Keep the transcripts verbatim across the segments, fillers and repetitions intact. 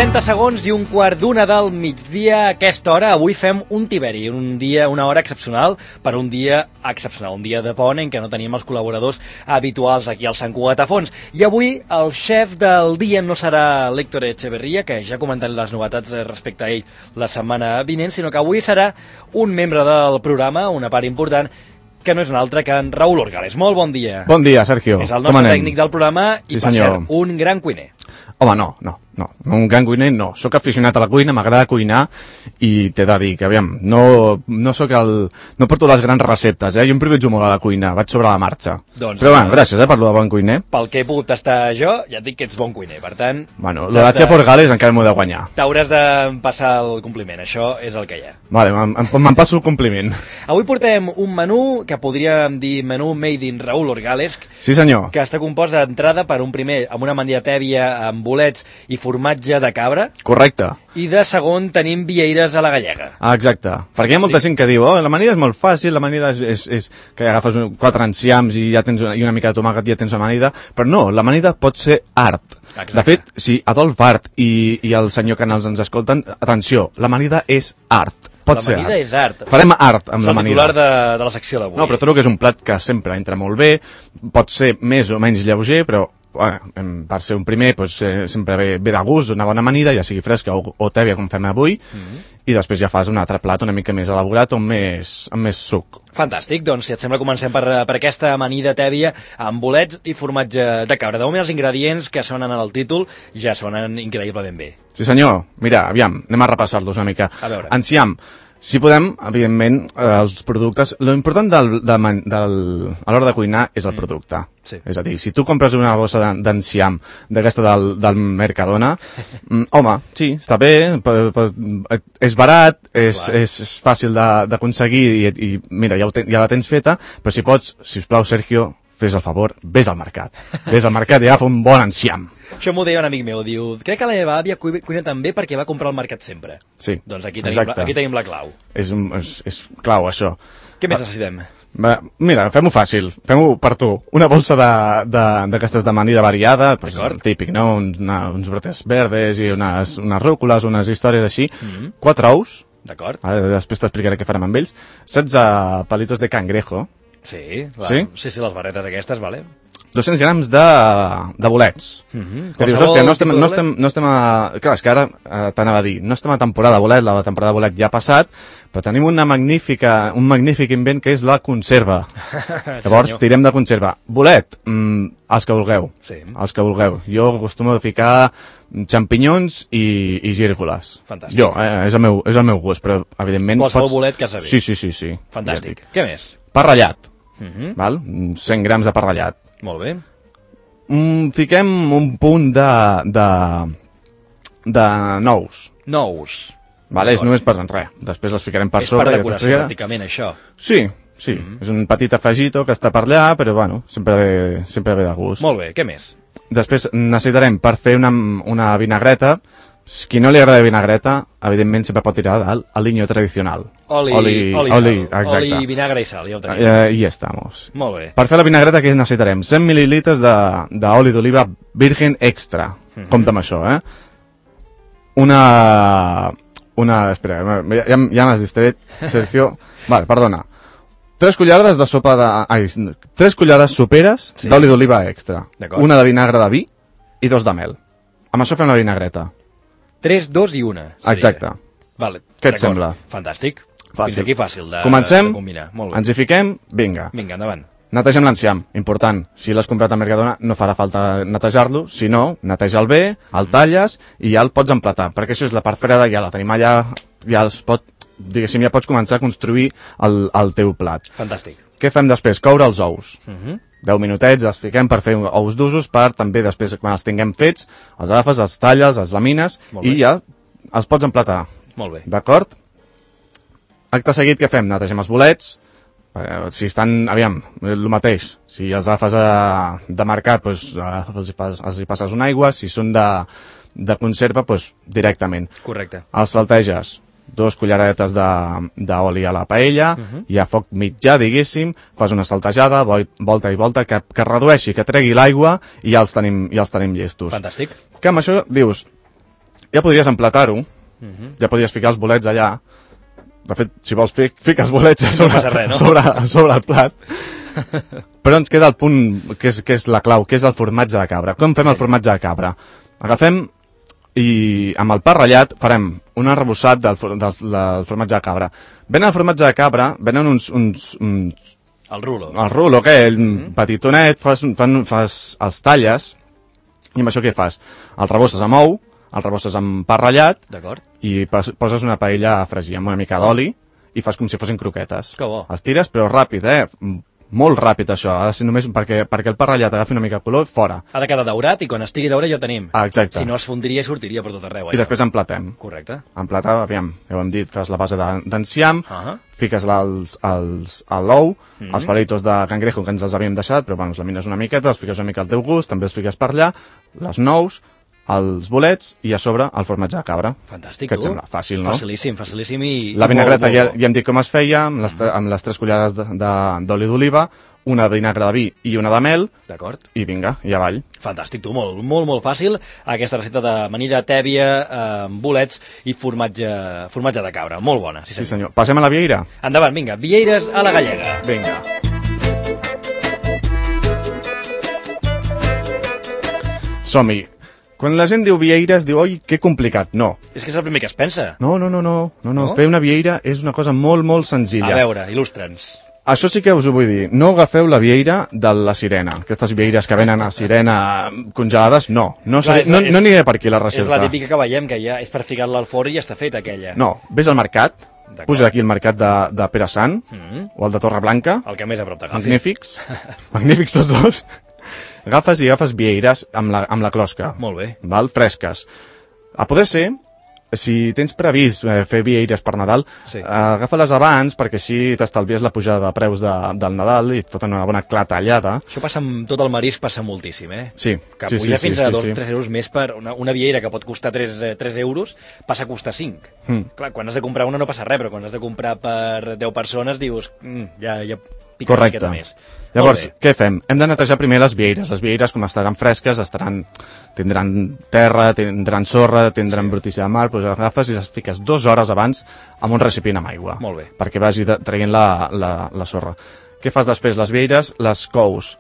trenta segons i un quart d'una del migdia. A aquesta hora avui fem un tiberi, un dia, una hora excepcional per un dia excepcional, un dia de pont en què no tenim els col·laboradors habituals aquí al Sant Cugat a Fons. I avui el xef del dia no serà l'Héctor Echeverría, que ja comentaré les novetats respecte a ell la setmana vinent, sinó que avui serà un membre del programa, una part important, que no és un altre que en Raül Orgales. Molt bon dia. Bon dia, Sergio. És el nostre tècnic del programa i, sí, per senyor. cert, un gran cuiner. Home, no, no, no, un gran cuiner no. Soc aficionat a la cuina, m'agrada cuinar i t'he de dir que, aviam, no, no soc el... no porto les grans receptes, eh? Jo em privatjo molt a la cuina, vaig sobre la marxa. Doncs, però, bueno, gràcies, eh, per lo de bon cuiner. Pel que he pogut tastar jo, ja et dic que ets bon cuiner, per tant... Bueno, lo de Chef Orgales encara m'ho he de guanyar. T'hauràs de passar el compliment, això és el que hi ha. Vale, me'n passo el compliment. Avui portem un menú que podríem dir menú made in Raül Orgales. Sí, senyor. Que està compost d'entrada per un primer amb una amanida tèbia amb bolets i formatge de cabra. Correcte. I de segon tenim vieires a la gallega. Ah, exacte. Perquè hi ha molta gent que diu, oh, l'amanida és molt fàcil, l'amanida és, és, és que agafes un, quatre enciams i ja tens una, i una mica de tomàquet i ja tens amanida, però no, l'amanida pot ser art. Exacte. De fet, si Adolf Art i, i el senyor Canals ens escolten, atenció, l'amanida és art. Pot ser art. L'amanida és art. Farem art amb l'amanida. És el titular de, de la secció d'avui. No, però trobo que és un plat que sempre entra molt bé, pot ser més o menys lleuger, però bueno, per ser un primer doncs, eh, sempre ve, ve de gust, una bona amanida, ja sigui fresca o, o tèbia com fem avui, mm-hmm. i després ja fas un altre plat una mica més elaborat o amb més, amb més suc. Fantàstic, doncs si et sembla comencem per, per aquesta amanida tèbia amb bolets i formatge de cabra. De moment els ingredients que sonen en el títol ja sonen increïblement bé. Sí senyor, mira, aviam, anem a repassar-los una mica. A veure. Enciam. Si podem, evidentment, eh, els productes... Lo important del, del, del, a l'hora de cuinar és el mm. producte. Sí. És a dir, si tu compres una bossa d'enciam d'aquesta del, del Mercadona, mm, home, sí, està bé, per, per, és barat, és, és, és fàcil d'aconseguir i, i mira, ja, ten, ja la tens feta, però si pots, sisplau, Sergio, fes el favor, vés al mercat. Vés al mercat i agafa un bon enciam. Això m'ho deia un amic meu, diu, crec que la meva àvia cuina també perquè va comprar al mercat sempre. Sí, doncs aquí tenim, la, aquí tenim la clau. És, és, és clau, això. Què més necessitem? Va, mira, fem-ho fàcil, fem-ho per tu. Una bolsa d'aquestes de, de, d'amanida variada, pues, el típic, no? Una, uns brotes verdes i unes, unes rúcules, unes històries així. Mm-hmm. Quatre ous. D'acord. Després t'explicaré què farem amb ells. setze palitos de cangrejo. Sí, la, sí? sí, sí, les barretes aquestes, vale. dos-cents grams de, de bolets. Mm-hmm. Que dius, hòstia, no estem, no, estem, no estem a... Clar, és que ara eh, t'anava a dir, no estem a temporada de bolet, la temporada de bolet ja ha passat, però tenim una magnífica, un magnífic invent que és la conserva. Llavors, tirem de conserva. Bolet, mm, els que vulgueu. Sí. Els que vulgueu. Jo acostumo a ficar xampinyons i, i gírgoles. Fantàstic. Jo, eh, és, el meu, és el meu gust, però evidentment... Qualsevol pots... bolet que sabi. Sí, sí, sí, sí. Fantàstic. Ja què més? Pa ratllat. Uh-huh. Val? cent grams de pa ratllat. Molt bé. Mm, fiquem un punt de, de, de nous. Nous. Vale, és només per res. Després les ficarem per és sobre. És per decoració, ja... pràcticament, això. Sí, sí. Mm-hmm. És un petit afegito que està per allà, però bueno, sempre ve, sempre ve de gust. Molt bé, què més? Després necessitarem, per fer una, una vinagreta, qui no li agrada vinagreta, evidentment sempre pot tirar del aliño tradicional. Oli, oli, oli, oli, oli, oli, vinagre i sal, ja ho tenim. Eh, I ja estamos. Molt bé. Per fer la vinagreta que necessitarem? cent mil·lilitres d'oli d'oliva virgen extra. Mm-hmm. Compte amb això, eh? Una... Una... Espera, ja, ja m'has distret, Sergio. Vale, perdona. Tres cullerades de sopa de... Ai, tres cullerades soperes sí. d'oli d'oliva extra. Una de vinagre de vi i dos de mel. Amb això fem la vinagreta. tres, dos i una. Seria. Exacte. Vale, què et sembla? Fantàstic. Fàcil. Fins aquí fàcil de, Comencem, de combinar. Molt bé. Ens hi fiquem, vinga. Vinga, endavant. Netegem l'enciam, important. Si l'has comprat a Mercadona no farà falta netejar-lo, si no, neteja'l bé, el talles i ja el pots emplatar, perquè això és la part freda, ja la tenim allà, ja els pot, diguéssim, ja pots començar a construir el, el teu plat. Fantàstic. Què fem després? Coure els ous. Uh -huh. deu minutets els fiquem per fer ous d'usos, per també després, quan els tinguem fets, els agafes, els talles, els lamines i ja els pots emplatar. Molt bé. D'acord? Acte seguit, què fem? Netegem els bolets. Si estan, aviam, el mateix. Si els agafes a, de mercat, doncs, els, hi pas, els hi passes una aigua. Si són de, de conserva, doncs, directament. Correcte. Els salteges. Dos culleradetes d'oli a la paella, uh-huh. i a foc mitjà, diguéssim, fas una saltejada, volta i volta, que, que redueixi, que tregui l'aigua, i ja els tenim, ja els tenim llestos. Fantàstic. Que amb això dius, ja podries emplatar-ho, uh-huh. ja podries ficar els bolets allà. De fet, si vols, fic, fiques bolets a No sobre, passa res, no? sobre, a sobre el plat. Però ens queda el punt que és, que és la clau, que és el formatge de cabra. Com fem el formatge de cabra? Agafem i amb el pa ratllat farem un arrebossat del, del, del formatge de cabra. Venen el formatge de cabra, venen uns... uns, uns el rulo. El rulo, aquell, mm. petitonet, fas, fan, fas els talles, i amb això què fas? El rebosses amb ou, el rebosses amb pa ratllat, i poses una paella a fregir amb una mica d'oli, i fas com si fossin croquetes. Que bo. Els tires, però ràpid, eh? Molt ràpid, això. Ha de ser només perquè, perquè el pa ratllat agafi una mica de color, fora. Ha de quedar daurat i quan estigui daurat ja el tenim. Ah, exacte. Si no es fondria i sortiria per tot arreu. I després emplatem. Correcte. Emplatar, aviam, ja ho hem dit, fas la base d'enciam, uh -huh. fiques l'ous, mm -hmm. els palitos de cangrejo que ens els havíem deixat, però bueno, els lamines una miqueta, els fiques una mica al teu gust, també els fiques per allà, les nous, els bolets i a sobre el formatge de cabra. Fantàstic, que et tu. sembla fàcil, no? Facilíssim, facilíssim i... La vinagreta ja, ja hem dit com es feia, amb les, amb les tres cullerades d'oli d'oliva, una de vinagre de vi i una de mel. D'acord. I vinga, i avall. Fantàstic, tu, molt, molt, molt fàcil. Aquesta receta de manilla tèbia, eh, bolets i formatge, formatge de cabra. Molt bona, sí senyor. Sí senyor. Passem a la vieira? Endavant, vinga, vieires a la gallega. Vinga. Som-hi. Quan la gent diu vieires, diu, oi, que complicat. No. És que és el primer que es pensa. No, no, no, no. no, no. no? Fer una vieira és una cosa molt, molt senzilla. A veure, il·lustra'ns. Això sí que us ho vull dir. No agafeu la vieira de la sirena. Aquestes vieires que venen a sirena congelades, no. No, Clar, és, no, és, no aniré per aquí la recerca. És la típica que veiem, que ja és per ficar-la al forn i ja està feta aquella. No, vés al mercat, puja aquí el mercat de, de Pere Sant, mm -hmm. o el de Torreblanca. El que més a prop t'agafi. Magnífics. Magnífics tots dos. Agafes i agafes vieires amb la, amb la closca. Molt bé. Val? Fresques. A poder ser, si tens previst eh, fer vieires per Nadal, sí. eh, agafa-les abans perquè així t'estalvies la pujada de preus de, del Nadal i et foten una bona clatallada. Això passa amb tot el marisc, passa moltíssim, eh? Sí. Que sí, puja sí, fins sí, a sí, dos o sí. tres euros més per una, una vieira que pot costar tres euros, passa a costar cinc. Mm. Clar, quan has de comprar una no passa res, però quan has de comprar per deu persones dius, mm, ja, ja pica una miqueta més. Llavors, què fem? Hem de netejar primer les vieires. Les vieires, com estaran fresques, estaran, tindran terra, tindran sorra, tindran sí. brutícia de mar, doncs agafes i les fiques dues hores abans amb un recipient amb aigua. Molt bé. Perquè vagi traient la, la, la sorra. Què fas després? Les vieires les cous.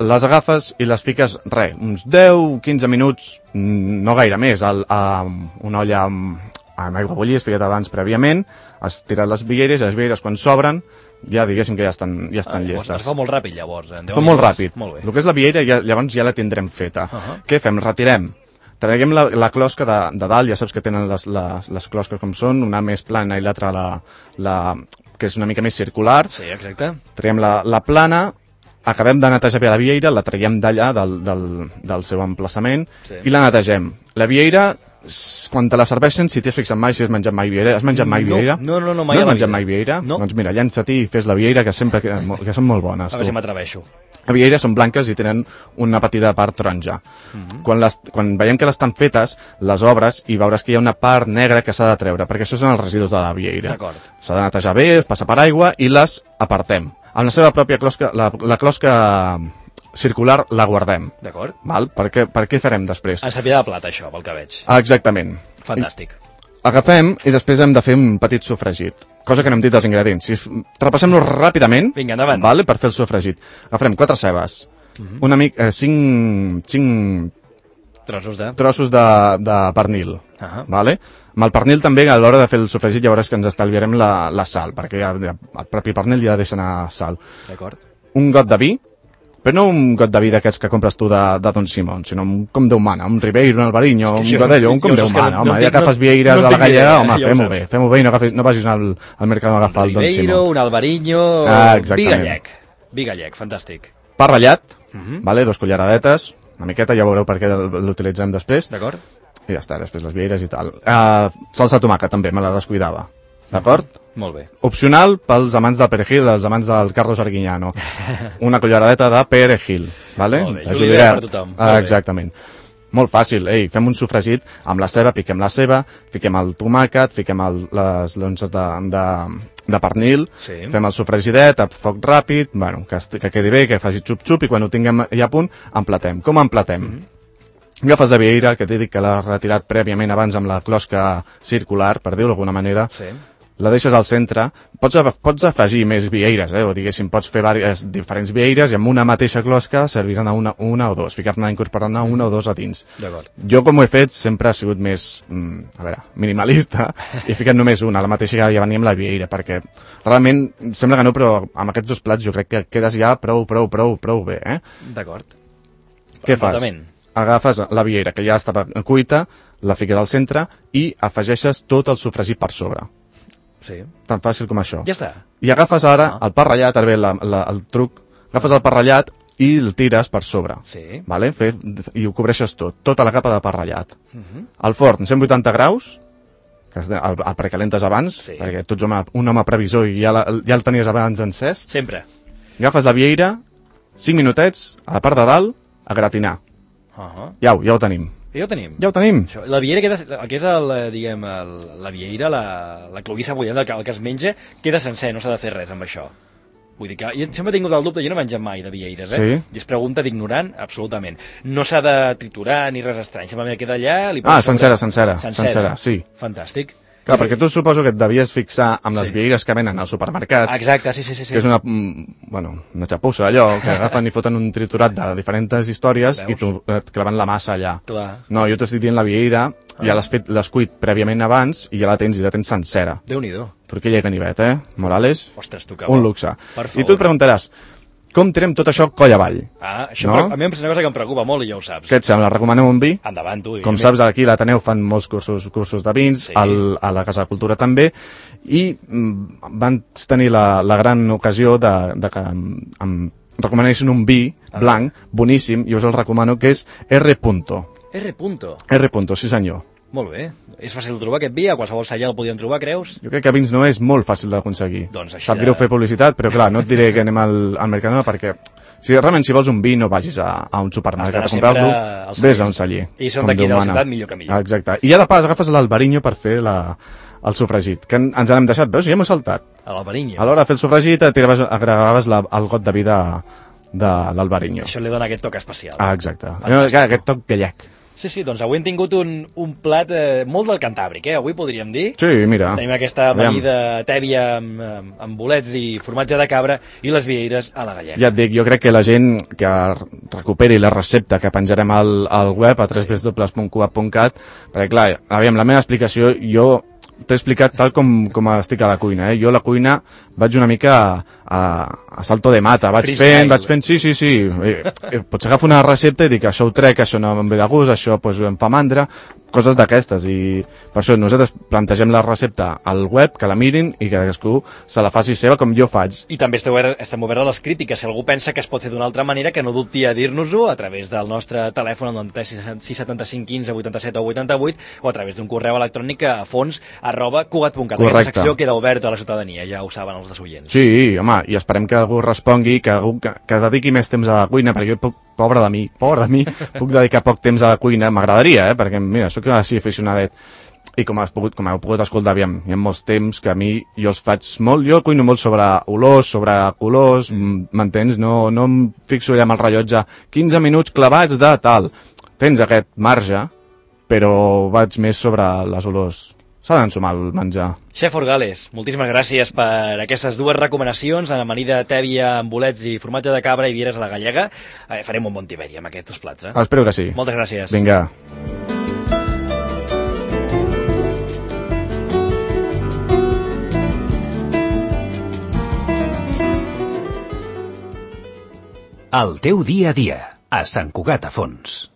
Les agafes i les fiques, res, uns deu quinze minuts, no gaire més, al, a una olla amb, amb aigua bullir, has ficat abans prèviament, has tirat les vieires i les vieires quan s'obren, ja diguéssim que ja estan, ja estan ah, llestes. Es fa molt ràpid, llavors. Eh? Es fa molt ràpid. Molt bé. El que és la vieira, ja, llavors ja la tindrem feta. Uh -huh. Què fem? Retirem. Traguem la, la closca de, de dalt, ja saps que tenen les, les, les closques com són, una més plana i l'altra la, la, que és una mica més circular. Sí, exacte. Traiem la, la plana, acabem de netejar bé la vieira, la traiem d'allà, del, del, del seu emplaçament, sí. i la netegem. La vieira, quan te la serveixen, si t'has fixat mai si has menjat mai vieira, has menjat mai vieira? No, no, no, mai no has menjat mai vieira? No. Doncs mira, llança-t'hi i fes la vieira, que sempre que, que són molt bones. A veure si m'atreveixo. Les vieires són blanques i tenen una petita part taronja. Uh -huh. quan, les, quan veiem que les estan fetes, les obres i veuràs que hi ha una part negra que s'ha de treure, perquè això són els residus de la vieira. S'ha de netejar bé, es passa per aigua i les apartem. Amb la seva pròpia closca, la, la closca circular la guardem. D'acord. Val? Per què, per què farem després? En sapida de plata, això, pel que veig. Exactament. Fantàstic. I agafem i després hem de fer un petit sofregit. Cosa que no hem dit dels ingredients. Si repassem-los ràpidament, vinga, endavant. Vale, per fer el sofregit. Agafarem quatre cebes, uh -huh. una mica, eh, cinc, cinc trossos de, trossos de, de pernil. Uh -huh. Vale? Amb el pernil també, a l'hora de fer el sofregit, llavors que ens estalviarem la, la sal, perquè ja, ja, el propi pernil ja deixa anar sal. D'acord. Un got de vi, però no un got de vi d'aquests que compres tu de, de Don Simón, sinó un com Déu mana, un Ribeiro, un Albariño, un Godello, un com Déu mana. Home, ja agafes vieires a la gallega, home, fem-ho bé, fem-ho bé i no, agafis, no vagis al, al mercat a agafar el Don Simón. Un Ribeiro, un Albariño, ah, vi gallec. Vi gallec, fantàstic. Pa ratllat, uh -huh. vale, dos culleradetes, una miqueta, ja veureu per què l'utilitzem després. D'acord. I ja està, després les vieires i tal. Uh, salsa de tomàquet també, me la descuidava. D'acord? Molt bé. Opcional pels amants del perejil, els amants del Carlos Arguiñano. Una culleradeta de perejil, vale? Molt bé, julivert per tothom. Ah, exactament. Molt fàcil, ei, fem un sofregit amb la ceba, piquem la ceba, fiquem el tomàquet, fiquem el, les lonces de, de, de pernil, sí. Fem el sofregidet a foc ràpid, bueno, que, que quedi bé, que faci xup-xup, i quan ho tinguem ja a punt, emplatem. Com emplatem? Mm -hmm. Agafes la vieira, que t'he dit que l'has retirat prèviament abans amb la closca circular, per dir-ho d'alguna manera, Sí. la deixes al centre, pots, pots afegir més vieires, eh? O diguéssim, pots fer diverses, diferents vieires i amb una mateixa closca serviran a una, una o dos, ficar-ne incorporant una o dos a dins. D'acord. Jo, com ho he fet, sempre ha sigut més, mm, a veure, minimalista, i he ficat només una, la mateixa que ja venia amb la vieira, perquè realment, sembla que no, però amb aquests dos plats jo crec que quedes ja prou, prou, prou, prou bé, eh? D'acord. Què fas? Completament. Agafes la vieira, que ja estava cuita, la fiques al centre i afegeixes tot el sofregit per sobre. Sí. Tan fàcil com això. Ja està. I agafes ara Ah. el pa ratllat, ara ve la, la, el truc, agafes el pa ratllat i el tires per sobre. Sí. Vale? Fe, I ho cobreixes tot, tota la capa de pa ratllat. Uh -huh. Al forn, cent vuitanta graus, que el, el precalentes abans, Sí. perquè tu ets home, un home previsor i ja, la, ja el tenies abans encès. Sempre. Agafes la vieira, cinc minutets, a la part de dalt, a gratinar. Uh -huh. Ja ho, ja ho tenim. Ja ho tenim. Ja ho tenim. Això, la vieira queda, el que és el, eh, diguem, el, la vieira, la, la cloguissa bullent, el que, el que es menja, queda sencer, no s'ha de fer res amb això. Vull dir que jo sempre he tingut el dubte, jo no he menjat mai de vieires, eh? Sí. I és pregunta d'ignorant, absolutament. No s'ha de triturar ni res estrany, simplement queda allà... Li Ah, poses sencera, sobre- sencera, sencera, sí. Fantàstic. Clar, perquè tu suposo que et devies fixar amb les Sí. vieires que venen als supermercats, Exacte, sí, sí, sí. sí. que és una, mm, bueno, una xapussa, allò, que agafen i foten un triturat de diferents històries i tu et claven la massa allà. Clar. No, jo t'estic dient la vieira, ja l'has fet, l'has cuit prèviament abans i ja la tens, i la tens sencera. Déu-n'hi-do. Torquilla i ganivet, eh? Morales, Ostres, tu que un bo. luxe. Per I favor. tu et preguntaràs, com tirem tot això coll avall? Ah, això No? no? A mi és una cosa que em preocupa molt i ja ho saps. Què et sembla? Recomanem un vi? Endavant, tu. Com i- saps, aquí a l'Ateneu fan molts cursos, cursos de vins, Sí. al, a la Casa de Cultura també, i mm, van tenir la, la gran ocasió de, de que em, em recomanessin un vi blanc, boníssim, i us el recomano, que és R. R. Punto. R. Sí senyor. Molt bé. És fàcil de trobar aquest vi? A qualsevol celler el podíem trobar, creus? Jo crec que vins no és molt fàcil d'aconseguir. Doncs així Sap de- greu fer publicitat, però clar, no et diré que anem al, al Mercadona perquè si realment si vols un vi no vagis a, a un supermercat a Has d'anar sempre comprar-lo, als vés cellers. a un celler. I són com d'aquí Déu de la mana. ciutat, millor que millor. Exacte. I ja de pas agafes l'albariño per fer la, el sofregit, que en- ens n'hem deixat, veus? Ja m'ho he saltat. A l'Albariño. A l'hora de fer el sofregit et tiraves, agregaves la, el got de vi de, de l'albariño. Això li dona aquest toc especial. Ah, exacte. Fantàstic. Aquest toc gallec. Sí, sí, doncs avui hem tingut un, un plat eh, molt del Cantàbric, eh? Avui podríem dir. Sí, mira. Tenim aquesta Aviam. amanida tèbia amb, amb, amb bolets i formatge de cabra i les vieires a la gallega. Ja et dic, jo crec que la gent que recuperi la recepta que penjarem al, al web a w w w punt cuat punt cat, perquè clar, aviam, la meva explicació, jo t'he explicat tal com, com estic a la cuina, eh? Jo a la cuina vaig una mica a, a, a salto de mata, vaig Freestyle. fent, vaig fent, sí, sí, sí, eh, eh, potser agafo una recepta i dic, això ho trec, això no em ve de gust, això pues, em fa mandra, coses d'aquestes, i per això nosaltres plantegem la recepta al web, que la mirin i que cadascú se la faci seva com jo faig. I també esteu, estem oberts a les crítiques. Si algú pensa que es pot fer d'una altra manera, que no dubti a dir-nos-ho a través del nostre telèfon al noranta-tres sis setanta-cinc quinze vuitanta-set o vuitanta-vuit o a través d'un correu electrònic a fons arroba cugat punt cat. Aquesta Correcte. secció queda oberta a la ciutadania, ja ho saben els desoients. Sí, home, i esperem que algú respongui, que algú que, que dediqui més temps a la cuina, perquè jo puc, pobre de mi, pobre de mi, puc dedicar poc temps a la cuina, m'agradaria, eh, perquè mira, sóc així aficionadet, i com has pogut, com heu pogut escoltar, aviam, hi ha molts temps que a mi jo els faig molt, jo cuino molt sobre olors, sobre colors, mm. m'entens? No, no em fixo allà amb el rellotge, quinze minuts clavats de tal. Tens aquest marge, però vaig més sobre les olors. S'ha d'ensumar el menjar. Xef Orgales, moltíssimes gràcies per aquestes dues recomanacions, amanida tèbia amb bolets i formatge de cabra i vieres a la gallega. Eh, farem un bon tiberi amb aquests dos plats, eh? Espero que sí. Moltes gràcies. Vinga. El teu dia a dia, a Sant Cugat a Fons.